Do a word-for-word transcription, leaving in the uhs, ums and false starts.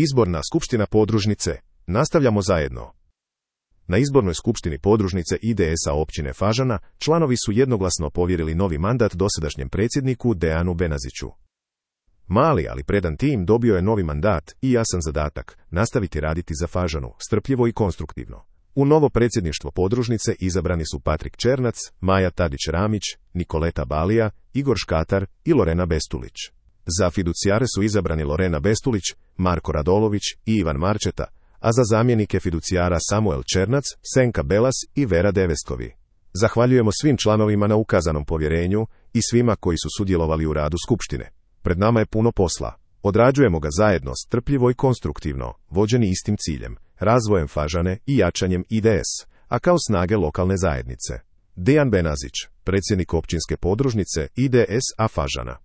Izborna skupština podružnice. Nastavljamo zajedno. Na izbornoj skupštini podružnice I D S-a općine Fažana članovi su jednoglasno povjerili novi mandat dosadašnjem predsjedniku Dejanu Benaziću. Mali, ali predan tim dobio je novi mandat i jasan zadatak – nastaviti raditi za Fažanu, strpljivo i konstruktivno. U novo predsjedništvo podružnice izabrani su Patrik Černac, Maja Tadić-Ramić, Nikoleta Balija, Igor Škatar i Lorena Bestulić. Za fiducijare su izabrani Lorena Bestulić, Marko Radolović i Ivan Marčeta, a za zamjenike fiducijara Samuel Černac, Senka Belas i Vera Deveskovi. Zahvaljujemo svim članovima na ukazanom povjerenju i svima koji su sudjelovali u radu skupštine. Pred nama je puno posla. Odrađujemo ga zajedno, strpljivo i konstruktivno, vođeni istim ciljem, razvojem Fažane i jačanjem I D S, a kao snage lokalne zajednice. Dejan Benazić, predsjednik općinske podružnice I D S-a Fažana.